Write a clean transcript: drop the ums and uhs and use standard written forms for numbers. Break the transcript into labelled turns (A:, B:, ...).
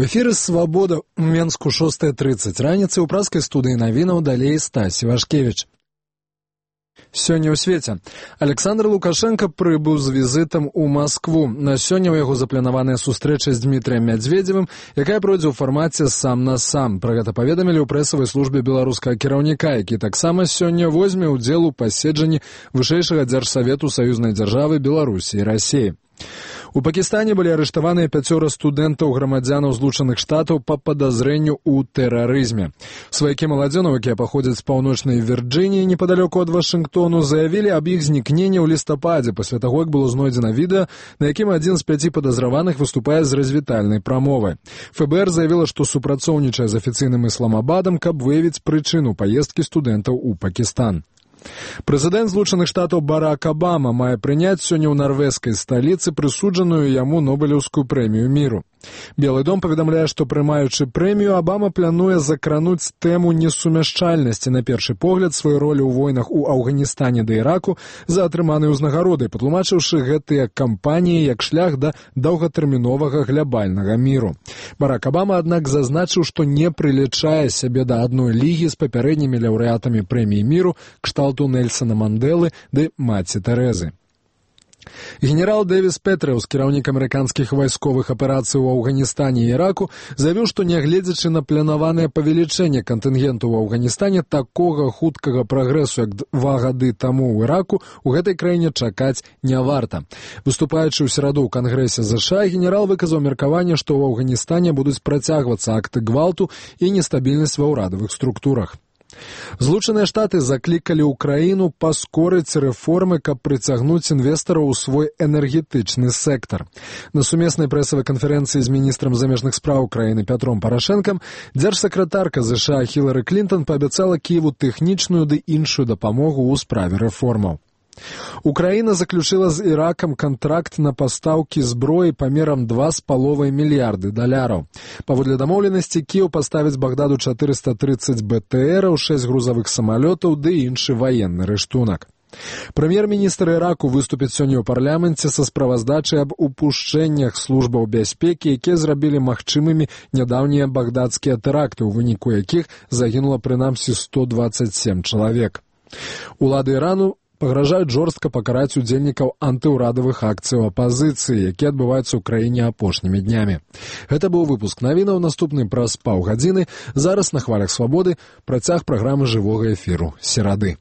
A: В эфіры «Свабода» у Менску 6:30. Раніцай у праскай студыі навінаў далей Стась Івашкевіч. Сёння ў свеце. Александр Лукашенко прыбыў з візітам у Маскву. На сёння ў яго запланаваная сустрэча з Дмітрыем Мядзведзевым, якая пройдзе ў фармаце сам на сам. Пра гэта паведамілі ў прэсавай службе беларускага кіраўніка, які таксама сёння возьме ўдзел у паседжанні вышэйшага дзяржсавету саюзнай дзяржавы Беларусі і Расіі. У Пакістане былі арыштаваныя 5 студэнтаў грамадзянаў Злучаных Штатаў па падазрэнню ў тэрарызме. Сваякі маладзёнаў, якія паходзяць з паўночнай Вірджыніі, непадалёку ад Вашынгтону, заявілі аб іх знікненні ў лістападзе, пасля таго, як было знойдзена відэа, на якім адзін з 5 падазраваных выступае з развітальнай прамовай. ФБР заявіла, што супрацоўнічае з афіцыйным Ісламабадам, каб выявіць прычыну паездкі студэнтаў у Пакістан. Прэзідэнт Злучаных Штатаў Барак Абама мае прыняць сёння ў нарвежскай сталіцы прысуджаную яму Нобелеўскую прэмію міру. Белы дом паведамляе, што прымаючы прэмію, Абама плануе закрануць тэму несумяшчальнасці на першы погляд сваёй ролі ў войнах у Афганістане да Іраку за атрыманай узнагародай, патлумачыўшы гэтыя кампаніі як шлях да доўгатэрміновага глябальнага міру. Барак Абама, аднак, зазначыў, што не прылічае сябе да адной лігі з папярэднімі лаўрэатамі прэміі міру кшталту Нельсона Мандэлы ды маці Тэрэзы. Генерал Дэвіс Петрыус, кіраўнік амерыканскіх вайсковых аперацый у Афганістане і Іраку, заявіў, што нягледзячы на планаванае павелічэнне кантынгенту ў Афганістане, такога хуткага прагрэсу, як 2 гады таму ў Іраку, у гэтай краіне чакаць не варта. Выступаючы ў сераду ў Кангрэсе ЗША, генерал выказаў меркаванне, што ў Афганістане будуць працягвацца акты гвалту і нестабільнасць ва ўрадавых структурах. Злучаныя Штаты заклікалі ўкраіну паскорыць рэформы, каб прыцягнуць інвестараў у свой энергетычны сектар. На сумеснай прэсавай канферэнцыі з міністрам замежных спраў краіны Пятром Парашэнкам дзяржсакратарка ЗША Хілары Клінтон паабяцала Кіеву тэхнічную ды іншую дапамогу ў справе рэформаў. Украіна заключила з Іракам кантракт на пастаўкі зброі памерам $2,5 мільярды. Паводле дамоўленасці, Кіеў паставіць Багдаду 430 БТРаў, 6 грузавых самалётаў ды іншы ваенны рыштунак. Прэм'ер-міністр Іраку выступіць сёння ў парламенце са справаздачай аб упушчэннях службаў бяспекі, якія зрабілі магчымымі нядаўнія багдадскія тэракты, у выніку якіх загінула прынамсі 127 чалавек. Улады Ірану пагражаюць жорстка пакараць удзельнікаў антыўрадавых акцыяў апазіцыі, якія адбываюцца ў краіне апошнімі днямі. Гэта быў выпуск навінаў, наступны праз паўгадзіны. Зараз на хвалях Свабоды працяг праграмы жывога эфіру серады.